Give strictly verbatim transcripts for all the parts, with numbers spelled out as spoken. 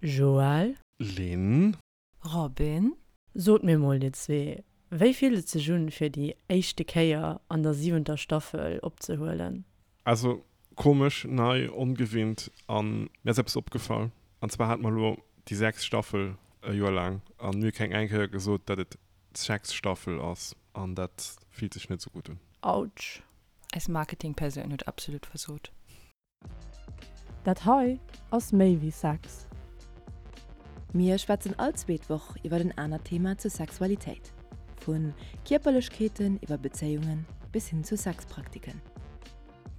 Joël. Lynn. Robin. Sot mir mol dir zwee, wéi fillt et sech un fir déi éischte Kéier an der siwenter Staffel opzehuelen? Also komesch, nei, ongewinnt an mir ass eppes opgefall. An zwar hate mer elo déi sechst Staffel e Joer laang an mir hu keng eng Kéier gesot, dat et d'Sex-Staffel ass an dat fillt sech net sou gutt un. Autsch. Eis Marketing-Persoun huet absolut versot. Dat hei ass méi wéi Sex. Mir schwätzen all zweet Woch iwwer en anert Thema zur Sexualitéit. Vu Kierperlechkeeten iwwer Bezéiungen bis hin zu Sexpraktiken.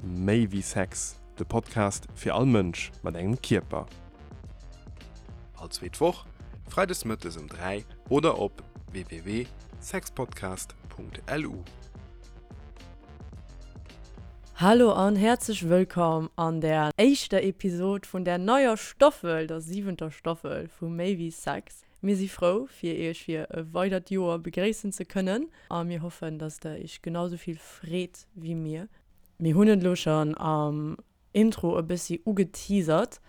Méi wéi Sex, de Podcast fir all Mënsch mat engem Kierper. All zweet Woch, freides mëttes um dräi oder op w w w sexpodcast punkt l u. Hallo an häerzlech wëllkomm an der éischter Episod vun der neier Staffel, der siwenter Staffel vu Méi wéi Sex. Mir si frou fir iech fir e weidert Joer begréissen ze kënnen a mir hoffen, dass der iech genau sou vill freet wéi mir. Mir hunn et elo schonn am Intro e bëssi ugeteasert,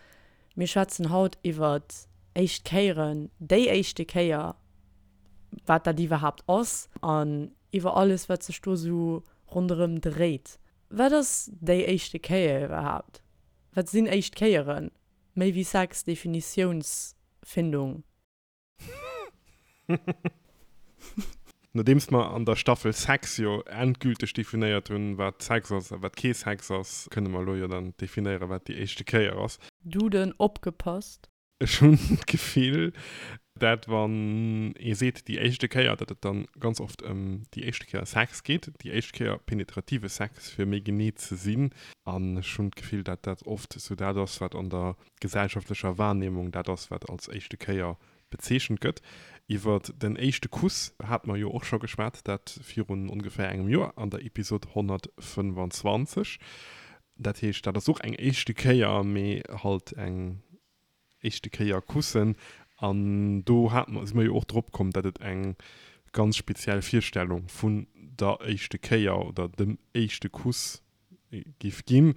mir schwätzen haut iwwert éischt Kéieren, déi éischte Kéier, wat dat iwwerhaapt ass an iwwer alles wat sech do sou ronderëm dréit. Wat ass déi éischte Kéier iwwerhaapt? Wat sinn éischt Kéieren? Méi wéi Sex, Definitiounsfindung. Nodeems mer an der Staffel Sex jo endgülteg definéiert hunn, wat Sex ass a wat kee Sex ass, kënne mer elo jo dann definéieren, wat déi éischte Kéier ass. Duden opgepasst! Ech hunn d'Gefill, dat wann ee seet déi éischte Kéier, dat et dann ganz oft ëm déi éischte Kéier Sex geet, déi éischt Kéier penetrative Sex, fir méi genee ze sinn. An ech hunn d'Gefill, dat dat oft esou dat ass, wat an der gesellschaftlecher Wahrnehmung dat ass, wat als éischte Kéier bezeechent gëtt. Iwwer den éischte Kuss hate mer jo och scho geschwat, dat virun ongeféier engem Joer an der Episod honnertfënnfanzwanzeg. Dat heescht, dat ass och eng éischte Kéier, mee halt eng éischte Kéier kussen. An do hate mer, si mer jo och drop komm, datt et eng ganz speziell Virstellung vun der éischte Kéier oder dem éischte Kuss giff ginn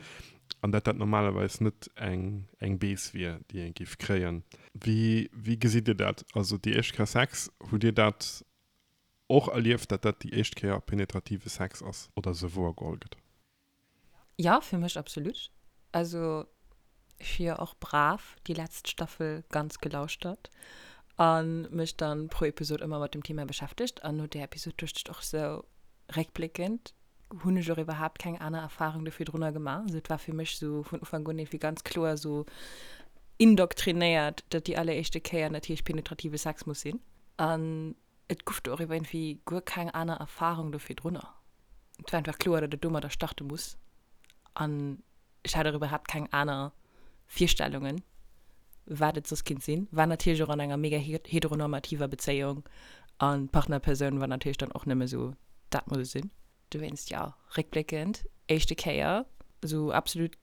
an datt dat normalerweis net eng eng Bees wier, déi ee giff kréien. Wéi wéi gesitt Dir dat? Also déi éischt Kéier Sex, hutt Dir dat och erlieft, datt dat déi éischt Kéier penetrative Sex ass oder esou wouergeholl gëtt? Jo, fir mech absolut. Also ech hu jo och brav déi letzt Staffel ganz gelauschtert an mech dann pro Episod ëmmer mat dem Thema beschäftegt an no där Episod duecht ech och sou réckbléckend hunn ech och iwwerhaapt keng aner Erfahrung do virdrunner gemaach. Also et war fir mech sou vun Ufank un iergendwéi ganz kloer sou indoktrinéiert, datt déi alleréischte Kéier natierlech penetrative Sex muss sinn an et guff do och iwwer iergendwéi guer keng aner Erfahrung do virdrunner. Et war einfach kloer, datt et domadder starte muss an ech hat och iwwerhaapt keng aner Virstellungen, wat et soss kinnt sinn. War natierlech och an enger mega heteronormativer Bezéiung an d'Partnerpersoun war natierlech dann och nëmme sou, dat muss et sinn. Dowéinst, jo, réckbléckend, éischte Kéier, sou absolut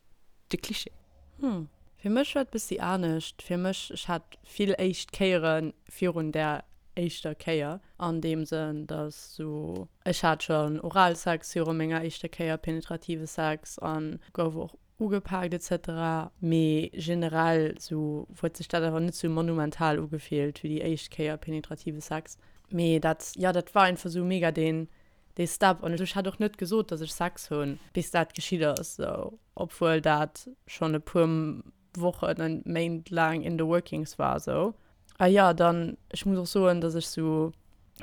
de Cliché. Hm, fir mech war et bëssi anescht. Fir mech, ech hat vill éischt Kéiere virun där éischter Kéier, an deem Sënn, dass sou, ech hat schonn Oralsex viru menger éischter Kéier, penetrative Sex, a gouf och ugepaakt et cetera. Mee generell sou huet sech dat awer net sou monumental ugefillt wéi déi éischt Kéier penetrative Sex. Mee dat, jo, dat war einfach sou mega deen dee Step an ech hat och net gesot, dass ech Sex hunn, bis dat geschitt ass, sou, obwuel dat schonn e puer Wochen an Méint laang in the workings war sou. A jo, dann, ech muss och soen, dass ech sou,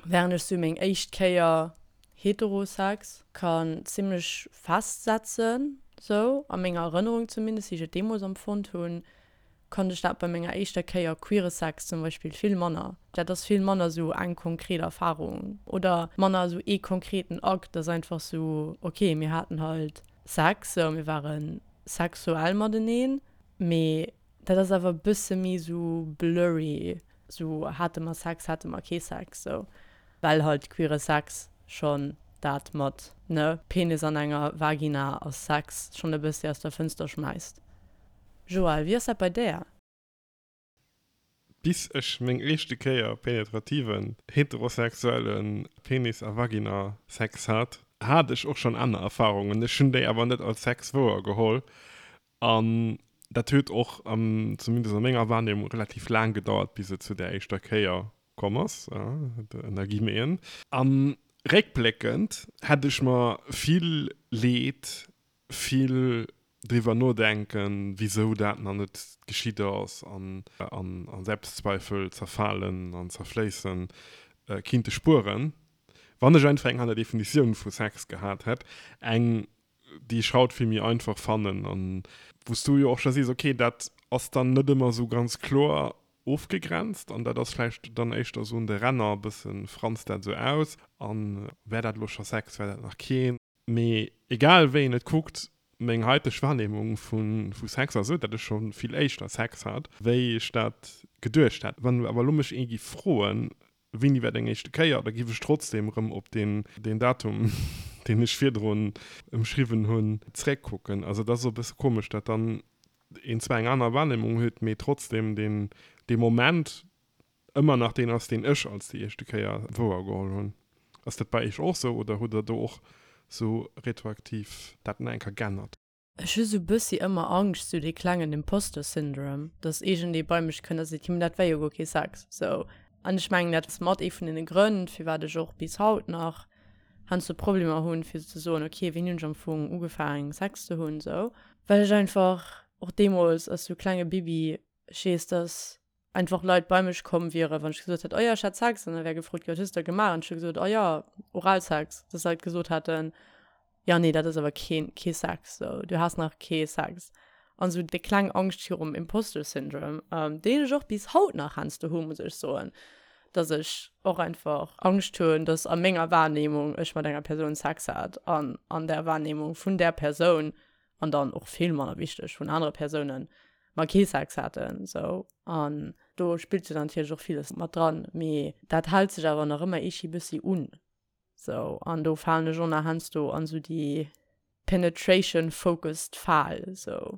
während ech sou meng éischt Kéier Heterosex kann zimmlech festsetzen, sou a menger Erënnerung zumindest, wéi ech et deemools empfonnt hunn, konnt ech dat bei menger éischter Kéier queere Sex zum Beispill vill manner. Dat ass vill manner sou eng konkret Erfarung oder manner sou ee konkreten Akt, dat ass einfach sou, okay, mir haten halt Sex, sou, mir ware sexuell mateneen, mee dat ass awer e bësse méi sou blurry, sou hate mer Sex, hate mer kee Sex, sou, well halt queere Sex schonn dat mat, ne, Penis an enger Vagina ass Sex schonn e bëssi aus der Fënster schmäisst. Joël, wéi ass dat bei där? Bis ech meng éischte Kéier penetrativen heterosexuelle Penis a Vagina Sex hat, hat ech och schonn aner Erfarungen. Ech hunn déi awer net als Sex wouer geholl. An Dat huet och, zumindest a menger Wahrnehmung, relativ laang gedauert, bis et zu där éischter Kéier komm ass, ënner Guillemeten. A réckbléckend hätt ech mer vill Leed, vill driwwer nodenken, wisou dat nach net geschitt ass an a Selbstzweifel zerfalen an zerfléissen, kinnte spueren, wann ech einfach eng aner Definitioun vu Sex gehat hätt, eng, déi ech haut vill méi einfach fannen an wou s du jo och scho sees, okay, dat ass dann net ëmmer esou ganz kloer ofgegrenzt an dat ass vläicht dann éischter esou un de Ränner e bësse franst dat esou aus an wär dat elo scho Sex, wär dat nach keen. Mee egal wéi een et kuckt, meng haiteg Wahrnehmung vu Sex ass esou, datt ech scho vill éischter Sex hat, wéi ech dat geduecht hat. Wann awer elo mech ee giff froen, wéini war deng éischte Kéier, da giff ech trotzdem erëm op deen Datum, deen ech virdrun ëmschriwwen hunn, zréckkucken. Also et ass esou e bësse komesch, datt dann een zwar eng aner Wahrnehmung huet, mee trotzdem deen dee Moment ëmmer nach deen ass, deen ech als déi éischte Kéier wouergeholl hunn. Ass dat bei iech och sou oder hutt der do och sou retroaktiv dat nach eng Kéier g'ännert? Ech hu sou bëssi ëmmer Angscht, sou dee klengen Imposter Syndrome, dass iergendee bei mech kënnt a seet, jo mee dat war jo guer kee Sex, sou. An ech mengen dat ass mat ee vun deene Grënn, firwat ech och bis haut nach heiansdo Problemer hunn, fir ze soen, ok, wéini hunn ech am Fong ugefaangen Sex ze hunn, sou. Well ech einfach och deemools als sou klenge Bibi, ech weess, dass einfach Leit bei mech komm wieren, wann ech gesot hätt, oh jo, ech hat Sex, an da wär gefrot ginn, wat hues de da gemaach? An ech hu gesot, oh jo, Oralsex, dass Leit gesot hätten, jo, nee, dat ass awer keen, kee Sex, sou, du has nach kee Sex. An sou déi kleng Angscht virum Imposter Syndrome, deen ech och bis haut nach heiansdo hu, muss ech soen, dass ech och einfach Angscht hunn, dass a menger Wahrnehmung ech mat enger Persoun Sex hat an an der Wahrnehmung vun där Persoun an dann och vill manner wichteg vun anere Persounen mer kee Sex haten sou an do spillt jo natierlech och villes mat dran, mee dat hält sech awer nach ëmmer eeschi bëssi un sou an do falen ech och nach heiansdo an sou déi penetration focused Fal sou.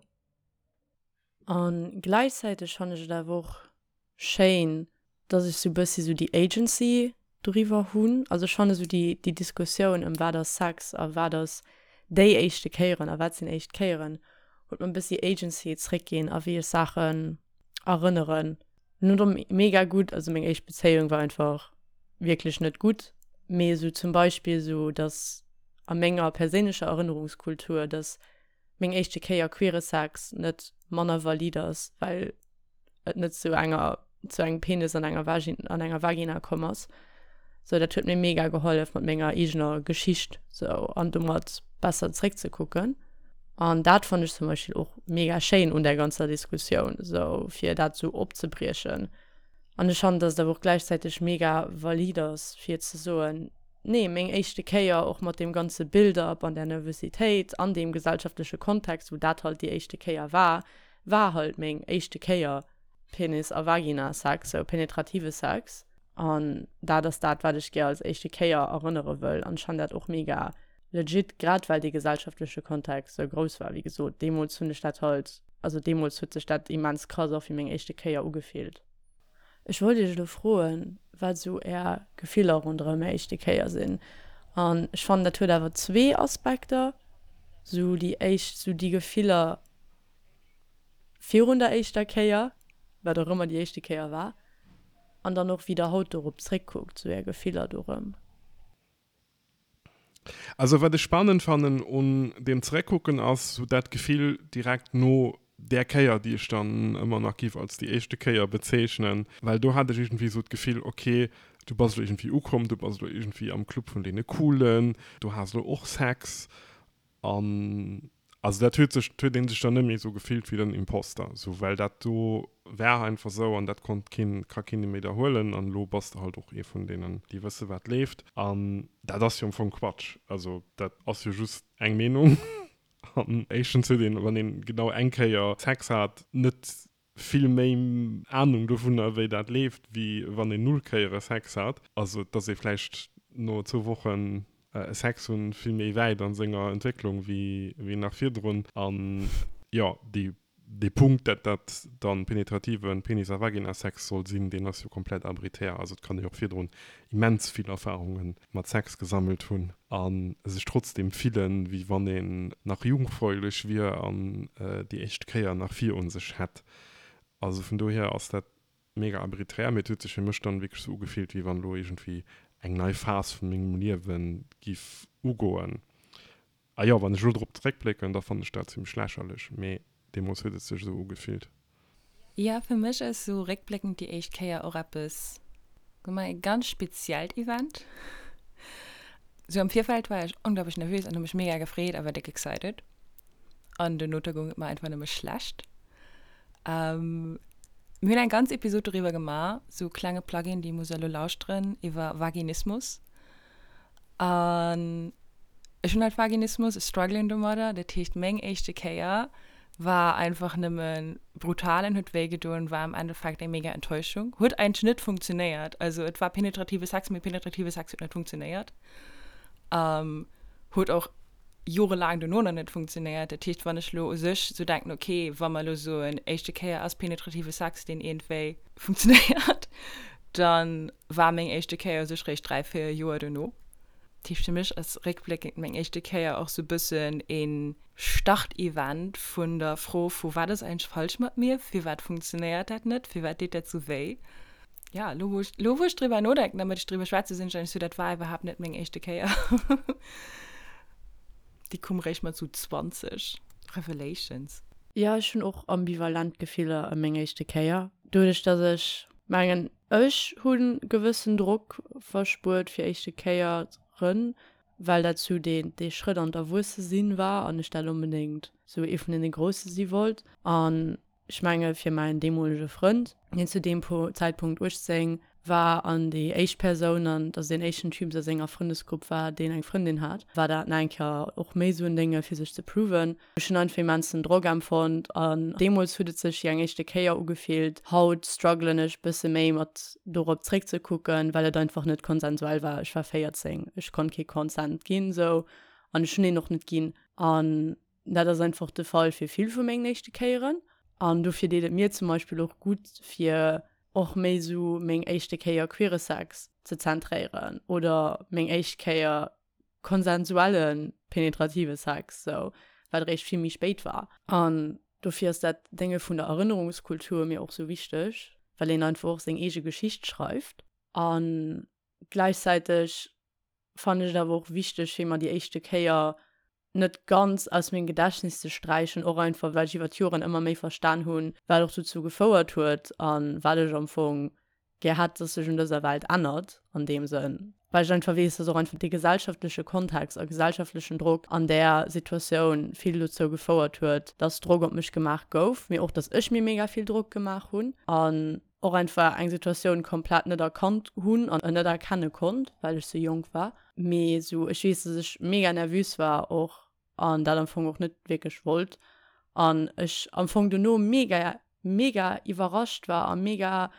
An gläichzäiteg fannen ech et awer och schéin, dass ech sou bëssi sou déi Agency doriwwer hunn. Also ech fanne sou déi déi Diskussioun ëm wat ass Sex a wat ass déi éischte Kéieren a wat sinn éischt Kéieren, huet mer e bëssi Agency zréckginn a wéi ech Saachen erënneren. Net mega gutt, also meng éischt Bezéiung war einfach wierklech net gutt, mee sou zum Beispill sou dass a menger perséinlecher Erënnerungskultur, dass meng éischte Kéier queere Sex net manner valid ass, well et net zu enger zu engem Penis an enger Vagin an enger Vagina komm ass. Sou dat huet mir mega gehollef mat menger eegener Geschicht sou an domat besser zréckzekucken. An dat fannt ech zum Beispill och mega schéin un där ganzer Diskussioun, sou fir dat sou opzebriechen. An ech fannen, dass et awer och gläichzäiteg mega valid ass fir ze soen, nee, meng éischte Kéier och mat deem ganze Build-up an där Nervositéit an deem gesellschaftleche Kontext, wou dat halt déi éischte Kéier war, war halt meng éischte Kéier Penis a Vagina-Sex, sou penetrative Sex. An dat ass dat, wat ech gär als éischte Kéier erënnere wëll. An ech fannen dat och mega legit, grad well dee gesellschaftleche Kontext sou grouss war. Wéi gesot, deemools hunn ech dat halt, also deemools huet sech dat immens krass och wéi meng éischte Kéier ugefillt. Ech wollt iech elo froen, wat esou är Gefiller ronderëm är éischte Kéier sinn. An ech fannen, dat huet awer zwee Aspekter, sou déi éischt, sou déi Gefiller virun der éischter Kéier, wat och ëmmer déi éischte Kéier war, an dann och wéi der haut dorop zréckkuckt, sou är Gefiller dorëm. Also wat ech spannend fannen un deem Zeréckkucken ass sou dat Gefill direkt no där Kéier, déi ech dann ëmmer nach giff als déi éischte Kéier bezeechnen, well do hat ech iergendwéi sou d'Gefill, ok, du bass elo iergendwéi ukomm, du bass elo iergendwéi am Club vun deene Coolen, du has elo och Sex an also dat huet sech, huet ee sech dann net méi sou gefillt wéi den Imposter, sou well dat do war einfach sou an dat konnt keen, ka keen méi der huelen an elo bass de halt och ee vun deenen, déi wësse wat leeft an dat ass jo am Fong Quatsch, also dat ass jo just eng Meenung. An éischtens huet een, wann een genau eng Kéier Sex hat, net vill méi Anung dovunner, wéi dat leeft, wéi wann een null Kéiere Sex hat. Also et ass ee vläicht no zwou Wochen Sex hunn vill méi wäit a senger Entwécklung wéi nach virdrun. An jo, déi Dee Punkt, dat dat dann penetrativen Penis a Vagina-Sex soll sinn, deen ass jo komplett arbitär. Also et kann ee jo och virdrun immens vill Erfahrunge mat Sex gesammelt hunn a sech trotzdem fillen, wéi wann een nach jungfräulech wier an déi éischt Kéier nach virun sech hätt. Also vun dohier ass dat mega arbiträr, mee et huet sech fir mech dann wierklech sou ugefillt, wéi wann elo iergendwéi eng nei Phas vu mengem Liewe giff ugoen. A jo, wann ech elo drop zeréckblécken, da fannen ech dat zimmlech lächerlech, mee deemools huet et sech esou ugefillt. Jo, fir mech ass sou réckbléckend déi éischt Kéier och eppes, soe mer, e ganz speziellt Event. Sou am Virfeld war ech onglaublich nervös an hu mech mega gefreet a war déck excited. An dono goung et mer einfach nëmme schlecht. Ähm, mir hunn eng ganz Episod doriwwer gemaach, sou klenge Plugin, déi muss elo lauschteren, iwwer Vaginismus. An ech hunn halt Vaginismus, ech struggelen domadder. Dat heescht, meng éischte Kéier war einfach nëmme brutal an huet wéi gedoen, war am Endeffekt eng mega Enttäuschung. Huet eigentlech net funktionéiert. Also et war penetrative Sex, mee penetrative Sex huet net funktionéiert. Ähm, huet och jorelaang dono nach net funktionéiert. Dat heescht, wann ech lo u sech sou denken, okay, wa mer lo soen, éischte Kéier ass penetrative Sex, deen iergendwéi funktionéiert, dann war meng éischte Kéier u sech réischt dräi, véier Joer dono. Dat heescht, fir mech ass réckbléckend meng éischte Kéier och sou bëssen e Start-Event vun der Fro vu wat ass eigentlech falsch mat mir, firwat funktionéiert dat net, firwat deet dat sou wéi. Ja, lo wou ech, lo wou ech driwwer nodenken a mat iech driwwer schwätze, sinn ech eigentlech sou, dat war iwwerhaapt net meng éischte Kéier. Déi koum réischt mat sou zwanzeg. Revelations. Jo, ech hunn och ambivalent Gefiller ëm meng éischte Kéier. Doduerch dass ech mengen, ech hu gewëssen Drock verspuert fir éischte Kéieren, well dat sou dee dee Schrëtt an d'Erwuesse-sinn war an ech dat onbedéngt sou ee vun deene Grousse si wollt. An Ech menge fir mäin deemolege Frënd, deen zu deem Zäitpunkt uechtzéng war an déi éischt Persoun an also deen éischten Typ a senger Frëndesgrupp war, deen eng Frëndin hat, war dat nach eng Kéier och méi esou en Dénge fir sech ze proven. Ech hunn einfach immensen Drock empfonnt an deemools huet et sech wéi eng éischte Kéier ugefillt. Haut struggelen ech bësse méi mat dorop zréckzekucken, well et einfach net konsensuell war. Ech war véierzéng, ech konnt kee Consent ginn esou an ech hunn een och net ginn. An dat ass einfach de Fall fir vill vu mengen éischte Kéieren. An dofir deet et mir zum Beispill och gutt, fir och méi esou meng éischte Kéier queere Sex ze zentréieren oder meng éischt Kéier konsensuelle penetrative Sex, sou, wat eréischt vill méi spéit war. An dofir ass dat Dénge vun der Erënnerungskultur mir och sou wichteg, well een einfach och seng eege Geschicht schreift. A gläichzäiteg fannen ech et awer och wichteg, fir mer déi éischte Kéier net ganz aus mengem Gedächtnis ze sträichen, och einfach well ech iwwer d'Joren ëmmer méi verstan hunn, wat och dozou gefouert huet a wat ech am Fong gär hätt, dass sech un dëser Welt ännert an deem Sënn, well ech einfach weess, dass och einfach dee gesellschaftleche Kontext a gesellschaftlechen Drock an där Situatioun vill dozou gefouert huet, dass Drock op mech gemaach gouf, mee och dass ech mir mega vill Drock gemaach hunn an och einfach eng Situatioun komplett net erkannt hunn an net erkenne konnt, well ech sou jonk war. Mee sou ech weess, dass ech mega nervös war och an dat am Fong och net wierklech wollt an ech am Fong dono mega mega iwwerrascht war a mega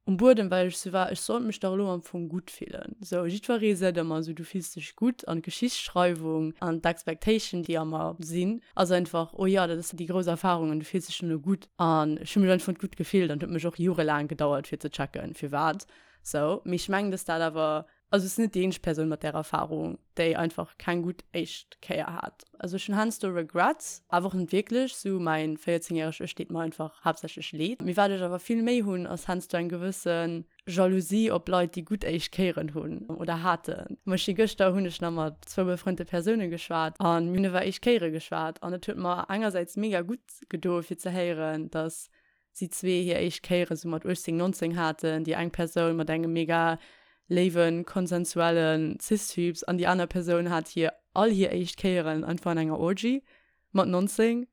um Buedem, well ech sou war, ech sollt mech dach elo am Fong gutt fillen. Sou jiddweree seet ëmmer sou, du fills dech gutt an d'Geschichtsschreiwung an d'Expectation, déi a mer sinn, ass einfach, oh jo, dat ass déi grouss Erfarung an du fills dech dono gutt. An ech hu mech einfach net gutt gefillt an et huet mech och jorelaang gedauert fir ze checken, firwat sou. Mee ech mengen, dass dat awer Also ech sinn net déi eenzeg Persoun mat där Erfarung, déi einfach keng gutt éischt Kéier hat. Also ech hunn heiansdo Regrets, awer och net wierklech. Sou mäin véierzéng järegt Ech deet mer einfach haaptsächlech leed. Mee wat ech awer vill méi hunn, ass heiansdo eng gewësse Jalousie op Leit, déi gutt éischt Kéieren hunn oder haten. Zum Beispill gëschter hunn ech nach mat zwou befrënnte Persoune geschwat a mir hunn iwwer éischt Kéiere geschwat an et huet mer engersäits mega gutt gedo fir ze héieren, dass si zwee hir éischt Kéiere sou mat uechtzéng, nonzéng haten, déi eng Persoun mat engem mega léiwen, konsensuellen Cis-Typs an déi aner Persoun hat hir all hir éischt Kéieren einfach an enger Orgy mat nonzéng,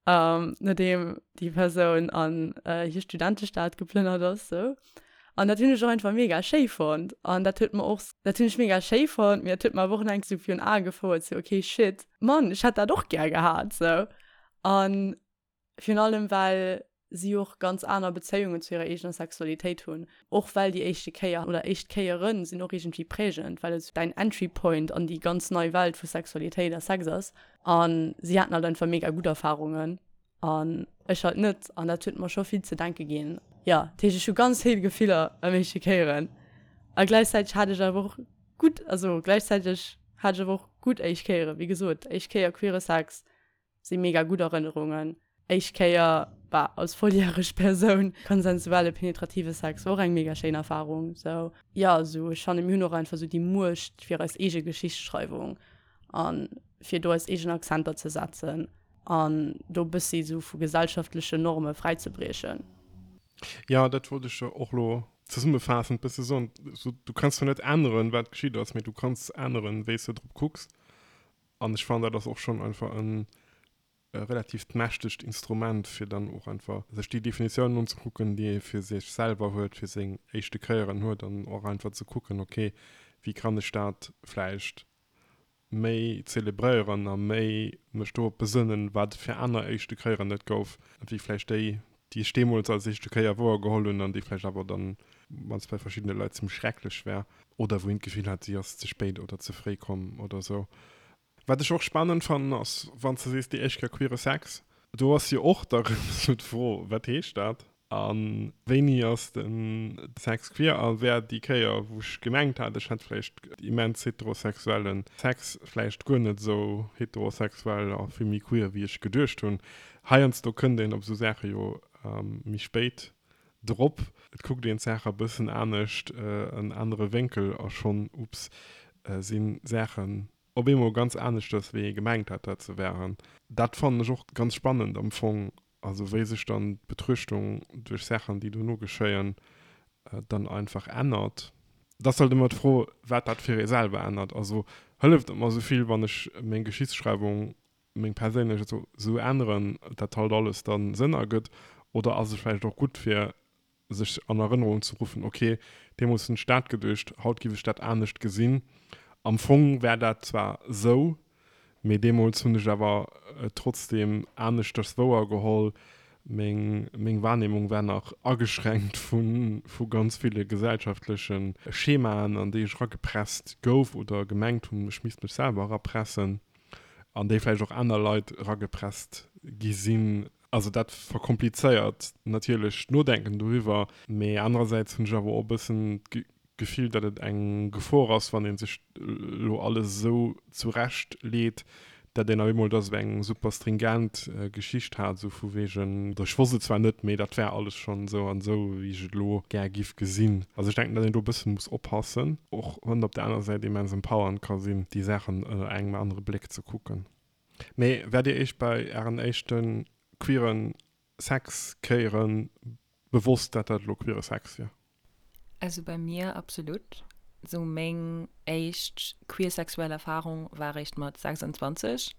nodeem déi Persoun an hir Studentestad geplënnert ass sou. An dat hunn ech och einfach mega schéi fonnt an dat huet mer och, dat hunn ech mega schéi fonnt, mee dat huet mer awer och nach eng sou virun Ae gefouert, sou okay shit, Mann, ech hätt dat och gär gehat sou. An Virun allem well si och ganz aner Bezéiungen zu hirer eegener Sexualitéit hunn. Och well déi éischte Kéier oder éischt Kéiere sinn och iergendwéi prägend, well et däin Entry Point an déi ganz nei Welt vu Sexualitéit a Sex ass. A si haten halt einfach mega gutt Erfarungen An ech halt net. An dat huet mer scho vill ze denke ginn. Jo, dat heescht, ech hu ganz vill Gefiller ëm éischte Kéieren. A gläichzäiteg hat ech awer och gutt, also gläichzäiteg hat ech awer och gutt éischt Kéieren. Wéi gesot, éischt Kéier queere Sex si mega gutt Erënnerungen. Éischt Kéier, bah, als volljäreg Persoun konsensuelle penetrative Sex war och eng mega schéin Erfarung. Sou, jo, sou ech fannen, mir hunn och einfach sou déi Muecht fir eis eege Geschichtsschreiwung a fir do eis eegen Akzenter ze setzen an do bëssi sou vu gesellschaftlechen Norme fräizebriechen. Jo, dat wollt ech och lo zesummefaassend bësse soen. Du kanns zwar net änneren, wat geschitt ass, mee du kanns änneren, wéi s de drop kucks. An ech fannen, dat ass och schonn einfach e relativt mächtegt Instrument, fir dann och einfach sech déi Definitiounen unzekucken, déi ee fir sech selwer huet, fir seng éischte Kéieren huet, an och einfach ze kucken, okay, wéi kann ech dat vläicht méi zelebréieren a méi mech dorop besënnen, wat fir aner éischte Kéieren et gouf, wéi vläicht déi, déi ech deemools als éischte Kéier wouergeholl hunn an déi vläicht awer dann mannst bei verschiddene Leit zimmlech schrecklech war oder wou een d'Gefill hat, si ass ze spéit oder ze fréi komm oder sou. Wat ech och spannend fannen ass, wann s de sees déi éischt Kéier queere Sex, do ass jo och da rëm esou d'Fro, wat heescht dat? A wéini ass de Sex queer? A wär déi Kéier, wou ech gemengt hat, ech hätt vläicht immens heterosexuelle Sex, vläicht guer net esou heterosexuell a vill méi queer, wéi ech geduecht hunn? Heiansdo kënnt een op esou Saache jo méi spéit drop. Et kuckt een d'Saach e bëssen anescht, en anere Wénkel a schonn, ups, si Saachen op eemol ganz aneschters, wéi ee gemengt hat, dat se wären. Dat fannen ech och ganz spannend am Fong. Also wéi sech dann d'Betruechtung duerch Saachen, déi dono geschéien, dann einfach ännert. Et ass halt ëmmer d'Fro, wat dat fir ee selwer ännert. Also hëlleft et mer esou vill, wann ech meng Geschichtsschreiwung, meng perséinlech esou änneren, dat halt alles dann Sënn ergëtt? Oder ass et vläicht och gutt fir sech an Erënnerung ze ruffen, ok, deemools hunn ech dat geduecht, haut giff ech dat anescht gesinn. Am Fong war dat zwar esou, Mee deemools hunn ech awer trotzdeem aneschters wouer geholl. Meng meng Wahrnehmung war nach ageschränkt vu vu ganz ville gesellschaftleche Schemaen, an déi ech eragepresst gouf oder gemengt hunn, ech misst mech selwer erapressen, an déi vläicht och aner Leit eragepresst gi sinn. Also dat verkomplizéiert natierlech d'Nodenken doriwwer. Mee anerersäits hunn ech awer och e bëssen Gefill, datt et eng Gefor ass, wann ee sech elo alles esou zurecht leet, datt een op eemol da sou eng super stringent Geschicht hat, esou vu wegen, oder ech wosst et zwar net, mee dat war alles schonn esou an esou, wéi ech et elo gär giff gesinn. Also ech denken, datt een do e bësse muss oppassen, och wann et op der anerer Säit immens empowernd ka sinn, déi Saachen ënner engem anere Bléck ze kucken. Mee waart Dir Iech bei Ären éischte queeren Sex-Kéiere bewosst, datt dat elo queere Sex wier? Also bei mir absolut. Sou meng éischt queer sexuell Erfahrung war réischt mat sechsundzwanzeg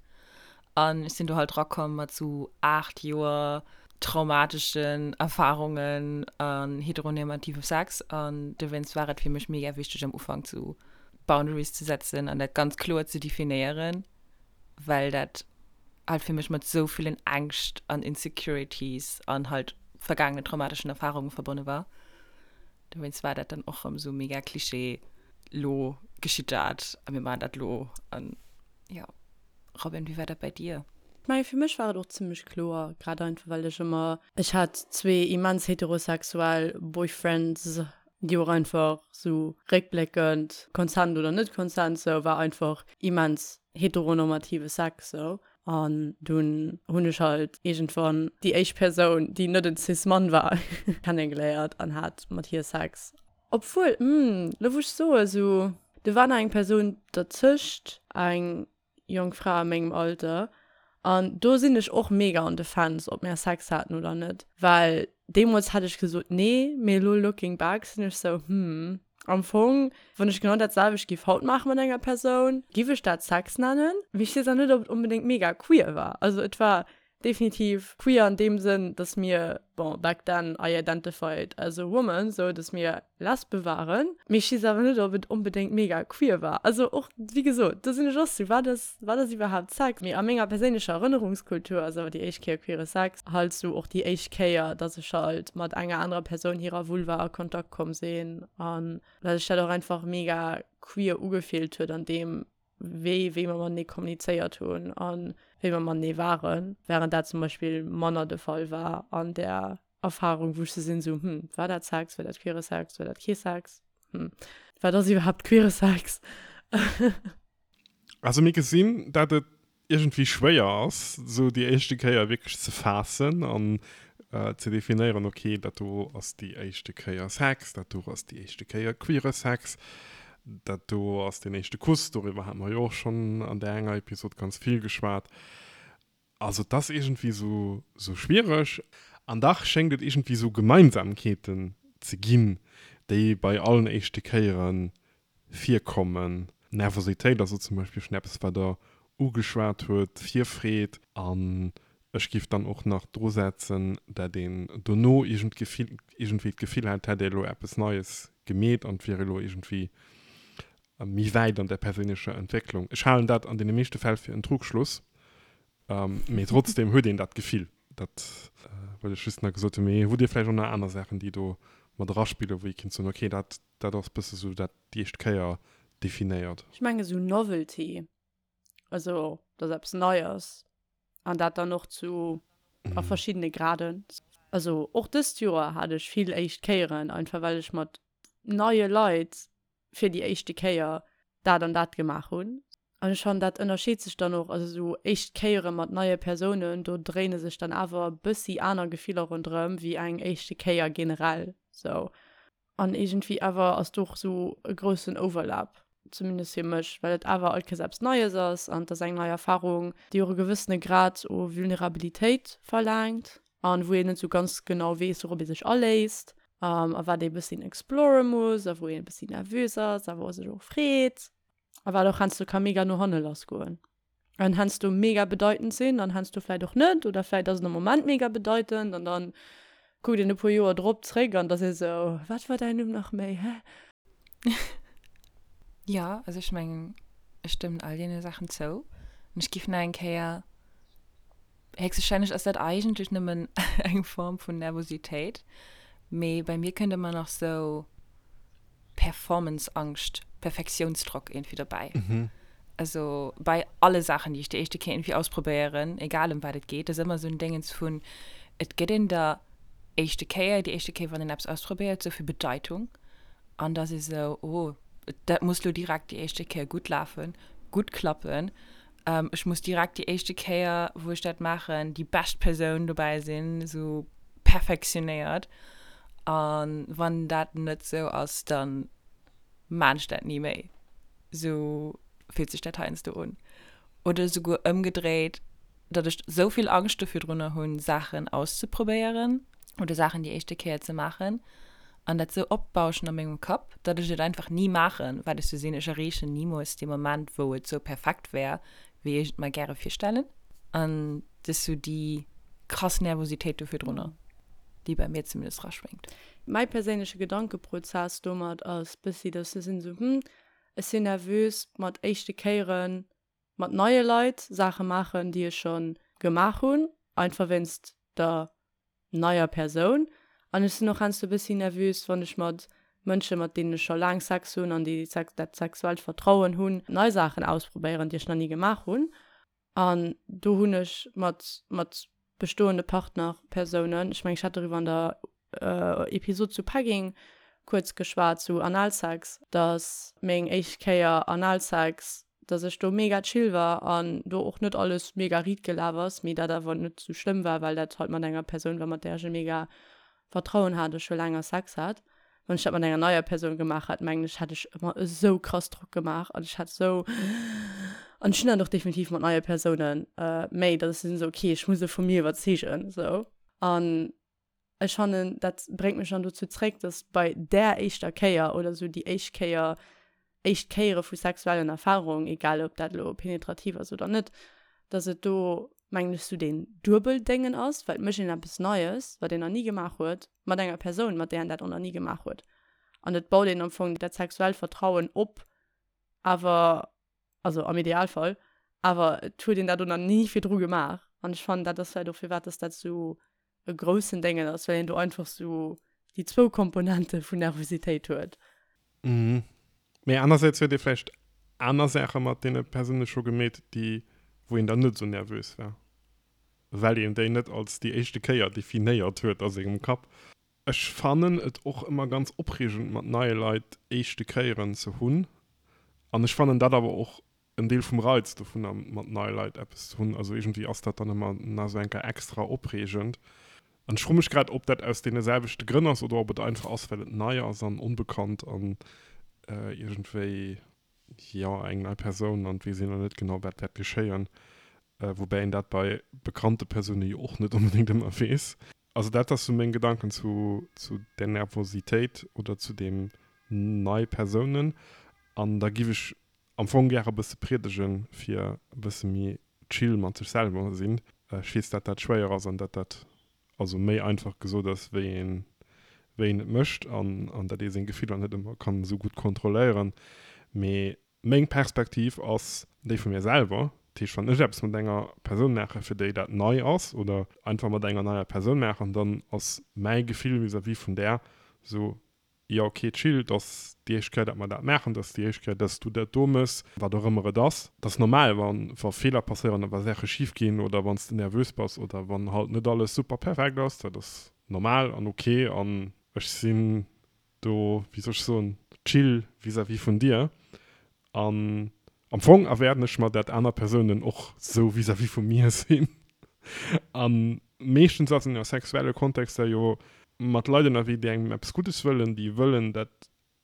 an ech sinn do halt rakomm mat sou aacht Joer traumateschen Erfahrungen an heteronormativem Sex an dowéinst war et fir mech mega wichteg am Ufank sou Boundaries ze setzen an dat ganz kloer ze definéieren, well dat halt fir mech mat sou villen Ängscht an Insecurities an halt vergaangenen traumateschen Erfahrungen verbonne war. Dowéinst war dat dann och rëm sou mega Klischee, lo geschitt dat a mir maachen dat lo an jo. Robin, wéi war dat bei dir? Ech mengen, fir mech war et och zimmlech kloer, grad einfach well ech ëmmer, ech hat zwee immens heterosexuell Boyfriends, déi och einfach sou réckbléckend, Consent oder net Consent, sou war einfach immens heteronormative Sex sou. An dunn hunn ech halt iergendwann déi éischt Persoun, déi net en Cis-Mann war, kennegeléiert an hat mat hir Sex. Obwuel, hm, lo wou ech soe sou, do war nach eng Persoun derzëscht, eng jonk Fra a mengem Alter, an do sinn ech och mega on the fence, ob mär Sex haten oder net, well deemools hätt ech gesot nee, mee elo looking back sinn ech sou, hm, Am Fong, wann ech genau dat selwecht giff haut maache mat enger Persoun, giff ech dat Sex nennen. Mee ech weess awer net, ob et onbedéngt mega queer war. Also et war definitiv queer an deem Sënn, dass mir, bon, back then I identified as a woman, sou dass mir Lesbe waren. Mee ech weess awer net, ob et onbedéngt mega queer war. Also och, wéi gesot, do sinn ech och sou, wat ass, wat ass iwwerhaapt Sex? Mee a menger perséinlecher Erënnerungskultur ass awer déi éischt Kéier queere Sex halt sou och déi éischt Kéier, dass ech halt mat enger anerer Persoun hirer Vulva a Kontakt komm sinn an well sech dat och einfach mega queer ugefillt huet an deem Wee, wéi mer matenee kommunizéiert hunn a wéi mer matenee waren, wärend dat zum Beispill manner de Fall war an där Erfarung, wou ech sou sinn, sou, hm, war dat Sex, war dat queere Sex, war dat kee Sex, hm, wat ass iwwerhaapt queere Sex? Also mir gesinn, dat et iergendwéi schwéier ass, sou déi éischte Kéier wierklech ze faassen an ze definéieren, ok, dat do ass déi éischte Kéier Sex, dat do ass déi éischte Kéier queere Sex, dat do ass deen éischte Kuss, doriwwer hate mer jo och schonn an där enger Episod ganz vill geschwat. Also et ass iergendwéi sou, sou schwiereg. An dach schéngt et iergendwéi sou Gemeinsamkeeten ze ginn, déi bei allen éischte Kéiere virkommen. Nervositéit ass do zum Beispill schonn eppes, wat Der ugeschwat huet, Virfreed. An ech géif dann och nach drusetzen, dat een dono iergendwéi d'Gefill hätt, hätt ee elo eppes Neies gemeet an et wier elo iergendwéi méi wäit an der perséinlecher Entwécklung. Ech halen dat an deene meeschte Fäll fir en Trugschluss, mee trotzdem huet een dat Gefill. Dat wëll ech just nach gesot hunn. Mee hutt Dir vläicht och nach aner Saachen, déi do mat eraspillen, wou ee kéint soen, okay, dat, dat ass bësse sou dat déi éischt Kéier definéiert? Ech mengen esou Novelty, also dass eppes nei ass an dat dann och zu a verschiddene Graden. Also och dëst Joer hat ech vill éischt Kéieren, einfach well ech mat neie Leit fir déi éischte Kéier dat an dat gemaach hunn. An ech fannen, dat ënnerscheet sech dann och, also esou éischt Kéiere mat neie Persounen, do dréine sech dann awer e bëssi aner Gefiller ronderëm wéi eng éischte Kéier generell sou. An iergendwéi awer ass do och esou e groussen Overlap, zumindest fir mech, well et awer all Kéiers eppes Neies ass an et ass eng nei Erfarung, déi och e gewëssene Grad u Vulnerabilitéit verlaangt an wou een net esou ganz genau weess, wourop ee sech aléisst a wat ee bëssi explore muss a wou een e bëssi nervös ass a wou e sech och freet a wat och heiansdo ka mega no hanne lass goen an heiansdo mega bedeitend sinn an heiansdo vläit och net oder vläit ass et am Moment mega bedeitend an dann kuckt een e puer Joer drop zréck an da ass ee sou, wat war däin Numm nach méi, hä? Jo, also ech mengen, ech stëmmen all deene Saachen zou. An ech giff nach eng Kéier, héchstwahrscheinlech ass dat eigentlech nëmmen eng Form vun Nervositéit, mee bei mir kënnt ëmmer nach sou Performance-Angscht, Perfektiounsdrock iergendwéi dobäi. Also bei alle Saachen, déi ech déi éischte Kéier iergendwéi ausprobéieren, egal ëm wat et geet, ass ëmmer sou en Déngens vun, et gëtt een der éischte Kéier, déi éischte Kéier, wann een eppes ausprobéiert, sou vill Bedeitung. An da si sou, oh, dat muss lo direkt déi éischte Kéier gutt lafen, gutt klappen. Ech muss direkt déi éischte Kéier, wou ech dat maachen, déi bescht Persoun dobäi sinn, sou perfektionéiert. A wann dat net sou ass, da maan ech dat ni méi. Sou fillt sech dat heiansdo un. Oder souguer ëmgedréit, datt ech sou vill Angscht do virdrunner hunn, Saachen auszeprobéieren oder Saachen déi éischte Kéier ze maachen an dat sou opbauschen a mengem Kapp, datt ech et einfach ni maachen, well ech sou sinn, ech erreechen nimools dee Moment, wou et sou perfekt wär, wéi ech et mer gäre virstellen. An et ass sou déi krass Nervositéit do virdrunner, déi bei mir zumindest raschwéngt. Mäi perséinleche Gedankeprozess domat ass bëssi, datt ech sinn sou, hm, ech sinn nervös mat éischte Kéieren mat neie Leit Saache maachen, déi ech scho gemaach hunn, einfach wéinst der neier Persoun. An ech sinn och heiansdo e bëssi nervös, wann ech mat Mënsche, mat deenen ech scho laang Sex hunn an déi dat sexuellt Vertrauen hunn, nei Saachen ausprobéieren, déi ech nach ni gemaach hunn. An do hunn ech mat mat bestoende Partner, Persounen, ech mengen, ech hat doriwwer an der Episod zu Pegging kuerz geschwat, zu Analsex, dass meng éischt Kéier Analsex, dass ech do mega chill war an do och net alles mega riit gelaf ass, mee dat awer net sou schlëmm war, well dat halt mat enger Persoun war, mat där ech e mega Vertrauen hat a scho länger Sex hat. Wann ech dat mat enger neier Persoun gemaach hätt, mengen ech, hätt ech mer esou krass Drock gemaach an ech hätt esou, an ech hunn dat och definitiv mat neie Persounen méi, dass ech sinn esou, okay, ech muss e vu mir iwwerzeegen, esou. An ech fannen, dat bréngt mech dann dozou zréck, dass bei där éischter Kéier oder esou déi éischt Kéier, éischt Kéiere vu sexuellen Erfarungen, egal ob dat elo penetrativ ass oder net, dass et do, mengen ech, esou deen Duebeldéngen ass, well et mécht een eppes Neies, wat een nach ni gemaach huet, mat enger Persoun, mat där een dat och nach ni gemaach huet. An et baut een am Fong dat sexuellt Vertrauen op, awer, also am Idealfall, awer et huet een dat och nach ni virdru gemaach. An ech fannen, dat ass vläicht och, firwat dass dat esou e groussen Déngen ass, well een do einfach sou déi zwou Komponente vun Nervositéit huet. Mhm. Mee anersäits huet ee vläicht aner Saache mat deene Persoune scho gemeet, déi, wou een dann net esou nervös war, well een déi net als déi éischte Kéier definéiert huet a sengem Kapp. Ech fannen et och ëmmer ganz opreegend, mat neie Leit éischte Kéieren ze hunn an ech fannen dat awer och en Deel vum Reiz dovunner, mat neie Leit eppes ze hunn. Also iergendwéi ass dat dann ëmmer nach esou eng Kéier extra opreegend. An ech froe mech grad, ob dat aus deene selwechte Grënn ass oder ob et einfach ass, well et nei ass an onbekannt an iergendwéi, jo, eng nei Persoun an et weess een nach net genau, wat wäert geschéien. Woubäi een dat bei bekannte Persoune jo och net onbedéngt ëmmer weess. Also dat ass sou meng Gedanken zu, zu där Nervositéit oder zu deem nei Persounen. An da giff ech am Fong gäre bësse priedegen, fir e bësse méi chill mat sech selwer ze sinn. Ech weess, dat dat schwéier ass an dat dat also méi einfach gesot ass, wéi een, wéi een et mécht an, an dat ee seng Gefiller net ëmmer kann esou gutt kontrolléieren. Mee meng Perspektiv ass déi vu mir selwer. Dat heescht, wann ech eppes mat enger Persoun maachen, fir déi dat nei ass, oder einfach mat enger neier Persoun maachen, dann ass mäi Gefill vis-à-vis vun där esou, Jo ok, chill, et ass déi éischt Kéier dat mer dat maachen, et ass déi éischt Kéier dass du dat do mëss, wat och ëmmer et ass. Et ass normal wa wa Feeler passéieren a wa Saache schif ginn oder wann s de nervös bass oder wann halt net alles super perfekt ass, dat ass normal an ok an ech sinn do, wéi soll ech soen, chill vis-à-vis vun dir an am Fong erwaarden ech mer dat aner Persounen och sou vis-à-vis vu mir sinn an meeschtens ass een a sexuelle Kontexter jo mat Leit ënnerwee, déi engem eppes Guddes wëllen, déi wëllen, dat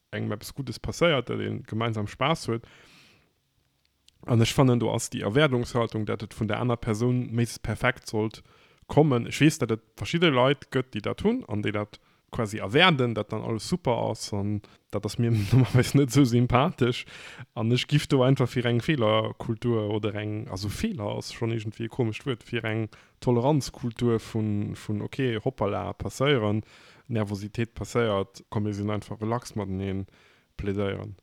engem eppes Guddes passéiert, dat ee gemeinsam Spaass huet. An ech fannen, do ass déi Erwaardungshaltung, dat et vun der aner Persoun méiglechst perfekt sollt kommen. Ech weess, dat et verschidde Leit gëtt, déi dat hunn an déi dat quasi erwaarden, dat dann alles super ass. An dat ass mir normalerweis net esou sympathesch. An ech giff do einfach fir eng Feelerkultur oder eng, also Feeler ass schonn iergendwéi e komescht Wuert, fir eng Toleranzkultur vun, vun ok, hoppala, passéieren, Nervositéit passéiert, komm mir sinn einfach relax mateneen, plädéieren.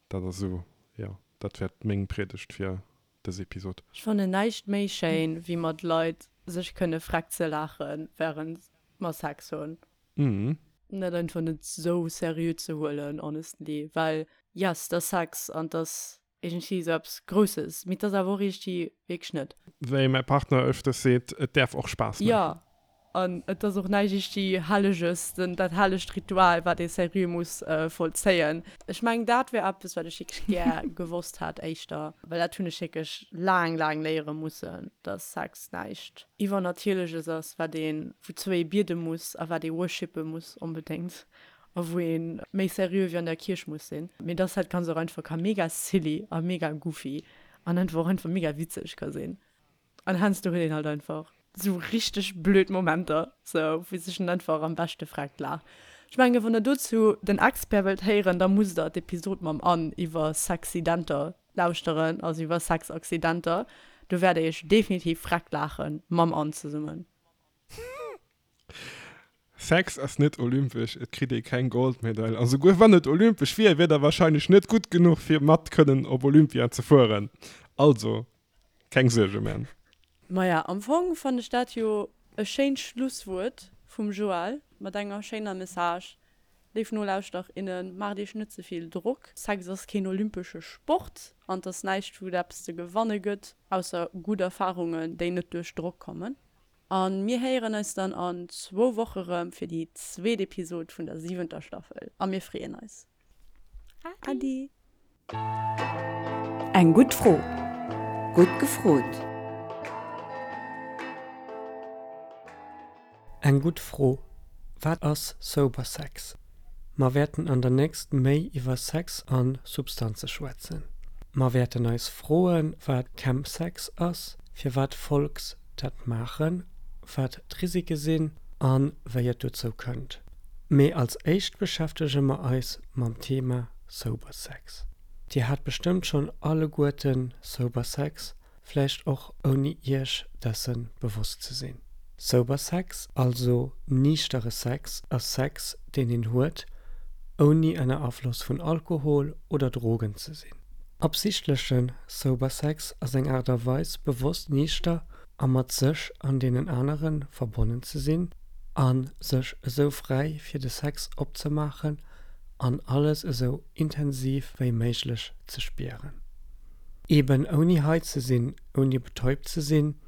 Dat ass esou, jo, dat wär meng Priedegt fir dës Episod. Ech fannen näischt méi schéin wéi mat Leit sech kënne freck ze laachen während mer Sex hunn. Mhm. Dat einfach net sou seriö ze huelen honestly, well yes, dat ass Sex an dat ass iergendwéi sou eppes Grousses, mee et ass awer och iergendwéi wierklech net. Wéi mäi Partner öfters seet, et däerf och Spaass maachen. Jo, an et ass och näischt iergendwéi Helleges, den, dat hellegt Ritual, wat ee seriö muss vollzéien. Ech mengen, dat wär eppes, wat ech wierklech gär gewosst hätt éischter, well dat hunn ech wierklech laang, laang léiere mussen, dass Sex näischt Iwwernatierleches ass, wat een, wouzou ee biede muss a wat ee worshippe muss onbedéngt a wou ee méi seriö wéi an der Kierch muss sinn, mee dass dat Ganzt och einfach ka mega silly a mega goofy an einfach och einfach mega witzeg ka sinn. An heiansdo huet een halt einfach sou richteg blöd Momenter, sou wou sech en einfach am beschte freckt laacht. Ech mengen, wann der dozou den Expert wëllt héieren, da musst der d'Episod mam Anne iwwer Sexidenter lauschteren, also iwwer Sexaccidenter. Do wäert der iech definitiv freckt laachen mam Anne zesummen. Sex ass net olympesch, et kritt ee keng Goldmedail a souguer wann et olympesch wier, wier der wahrscheinlech net gutt genuch fir mat kënnen op Olympia ze fueren. Also keng Suerge man. Maja, am Fong fannen ech dat jo e schéint Schlusswuert vum Joël mat enger schéiner Message. Léif Nolauschterer, innen, maacht iech net ze vill Drock. Sex ass keen olympesche Sport an et ass näischt wou et eppes ze gewanne gëtt, ausser gutt Erfarungen, déi net duerch Drock kommen. A mir héieren eis dann an zwou Woche rëm fir déi zweet Episod vun der siwenter Staffel a mir freeën eis. Adi! Eng gutt Fro, gutt gefrot! Eng gutt Fro, Wat ass sober Sex? Mer wäerten an der nächst méi iwwer Sex a Substanze schwätzen. Mer wäerten eis froen, wat Chemsex ass, firwat Folks dat maachen, wat d'Risike sinn a wéi et dozou kënnt. Mee als éischt beschäftege mer eis mam Thema Sober Sex. Dir hat bestëmmt schonn alleguerten Sober Sex, vläicht och ouni iech dessen bewosst ze sinn. Sober Sex, also niichtere Sex, ass Sex, deen een huet, ouni ënner Afloss vun Alkohol oder Drogen ze sinn. Absichtleche Sober Sex ass eng Aart a Weis, bewosst niichter a mat sech an deenen anere verbonnen ze sinn a sech esou fräi fir de Sex opzemaachen an alles esou intensiv wéi méiglech ze spieren. Eben ouni high ze sinn, ouni betäubt ze sinn,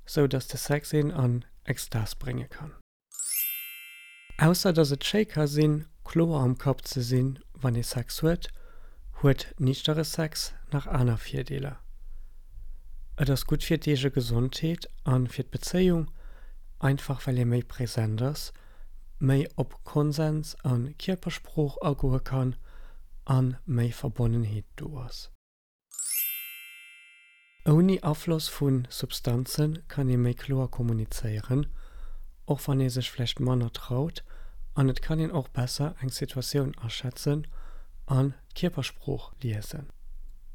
sou dass de Sex een an Extas brénge kann. Ausser dass et schéi ka sinn, kloer am Kapp ze sinn, wann ee Sex huet, huet niichtere Sex nach aner Virdeeler. Et ass gutt fir d'eege Gesondheet a fir d'Bezéiung, einfach well ee méi present ass, méi op Konsens a Kierpersprooch agoe kann a méi Verbonnenheet do ass. Ouni Afloss vu Substanze kann ee méi kloer kommunizéieren, och wann ee sech vläicht manner traut, an et kann een och besser eng Situatioun aschätzen an d'Kierpersprooch liesen.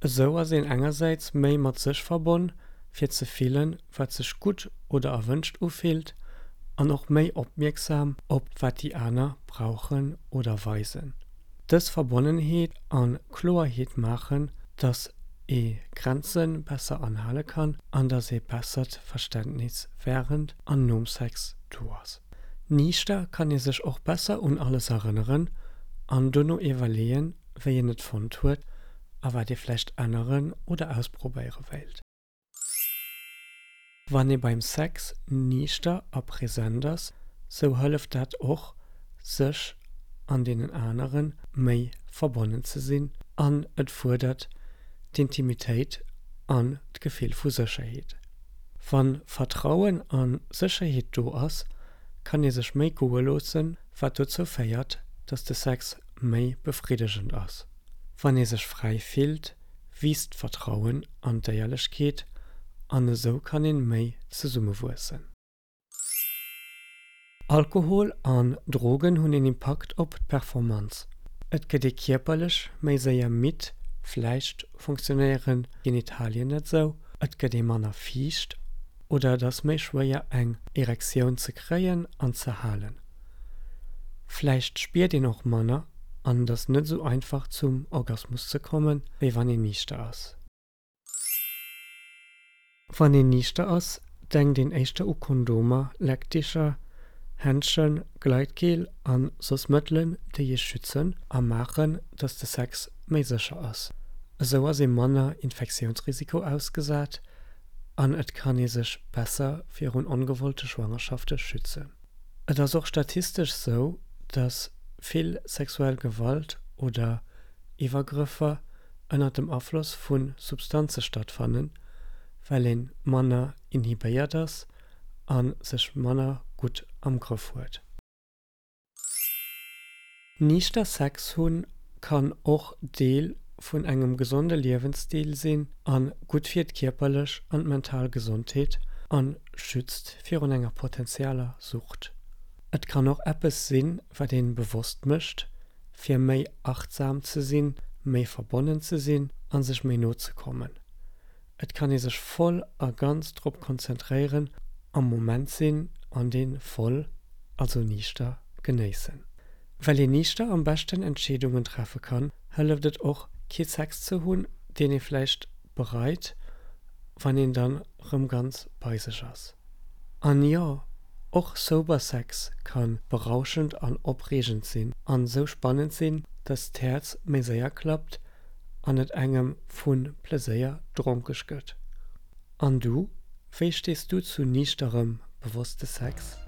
Esou ass een engersäits méi mat sech verbonn, fir ze fillen, wat sech gutt oder erwënscht ufillt, an och méi opmierksam op wat déi aner brauchen oder weisen. Dës Verbonnenheet a Kloerheet maachen, dass ee Grenze besser anhale kann an dass ee bessert Verständnis wärend an nom Sex do ass. Niichter kann ee sech och besser un alles erënneren an dono iwwerleeën, wéi een et fonnt huet a wat ee vläicht änneren oder ausprobéiere wéilt. Wann ee beim Sex niichter a present ass, sou hëlleft dat och, sech an deenen anere méi verbonnen ze sinn an et fuerdert d'Intimitéit an d'Gefill vu Sécherheet. Wa Vertrauen a Sécherheet do ass, kann ee sech méi goe loossen, wat dozou féiert, dass de Sex méi befriddegend ass. Wann ee sech fräi fillt, wiisst d'Vertrauen an d'Éierlechkeet an esou kann een méi zesummewuessen. Alkohol an Drogen hunn een Impakt op d'Performanz. Et gëtt ee kierperlech méi séier midd, vläicht funktionéieren d'Genitalien net sou, et gëtt ee manner fiicht oder et ass méi schwéier eng Erektioun ze kréien an ze halen. Vläicht spiert een och manner an et ass net sou einfach zum Orgasmus ze kommen, wéi wann een niichter ass. Wann een niichter ass, denkt een éischter u Kondomer, Leckdicher, Händschen, Gleitgel a soss Mëttelen, déi ee schützen a maachen, dass de Sex méi sécher ass. Esou ass ee manner Infektiounsrisiko ausgesat an et kann ee sech besser virun ongewollte Schwangerschafte schützen. Et ass och statistesch sou, dass vill sexuell Gewalt oder Iwwergrëffer ënnert dem Afloss vu Substanze stattfannen, well ee manner inhibéiert ass a sech manner gutt am Grëff huet. Niichter Sex hunn kann och Deel vun engem gesonde Liewensstil sinn a gutt fir d'kierperlech an d'mental Gesondheet a schützt virun enger potenzieller Sucht. Et kann och eppes sinn, wat een bewosst mécht, fir méi achtsam ze sinn, méi verbonnen ze sinn a sech méi no ze kommen. Et kann ee sech voll a ganz drop konzentréieren, am Moment sinn an dee voll, also niichter, genéissen. Well een niichter am beschten Entscheedungen treffe kann, hëlleft et och, kee Sex ze hunn, deen ee vläicht bereit, wann een dann rëm ganz bei sech ass. An jo, och sober Sex ka berauschend an opreegend sinn an sou spannend sinn, dass d'Häerz méi séier klappt an et engem vu Pleséier dronkeg gëtt. An du, wéi stees du zu niichterem, bewosste Sex?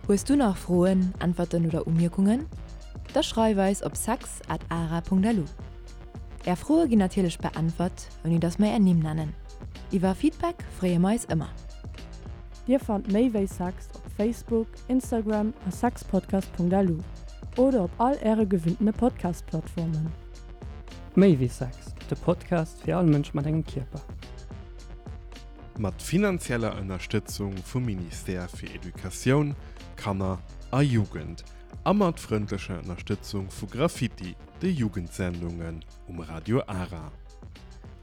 Hues du nach Froen, Äntwerten oder Umierkungen? Da schreif eis op sex at ara punkt lu. Är Froe ginn natierlech beäntwert, ouni dass mer är Nimm nennen. Iwwer Feedback freeë mer eis ëmmer. Dir fannt méi wéi Sex op Facebook, Instagram a sexpodcast.lu oder op all äre gewinntene Podcast-Plattformen. Méi wéi Sex, de Podcast fir all Mënsch mat engem Kierper. Mat finanzieller Ënnerstëtzung vum Ministère fir Educatioun, Kanner a Jugend a mat frëndlecher Ënnerstëtzung vu Graffiti, de Jugendsendungen um Radio Ara.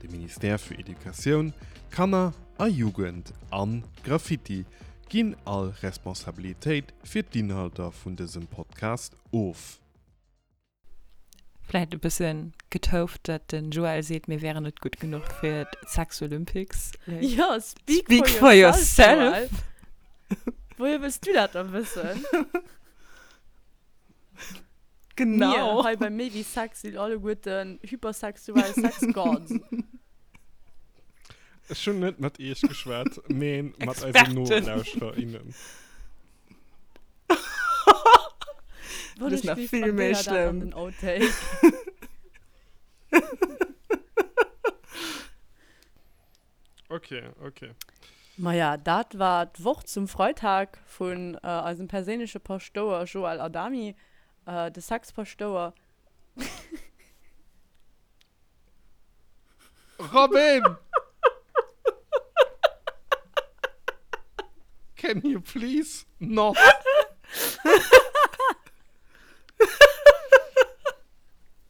De Ministère fir Educatioun, Kanner a Jugend an Graffiti ginn all Responsabilitéit fir d'Inhalter vun dësem Podcast of. Vläit e bëssen getouft, dat den Joël seet, mir wären net gutt genuch fir d'Sex Olympics. Like, Ja, speak, speak for for yourself, yourself. Joël. Wohier wëlls du dat dann wëssen? Genau. Mir hei bei Méi wéi Sex sinn alleguerten hypersexuell Sex-Gods. Ech hunn net mat iech geschwat, mee mat eisen Experten. Nolauschterer, innen. Wann Das ist ech nach weess, viel méi markéier dat an schlimm. den Outtake. Okay, okay. Maja, dat war d'Woch zum Freitag vun äh, eisem perséinleche Paschtouer Joël Adami, äh, de Sexpaschtouer. Robin! Can you please not?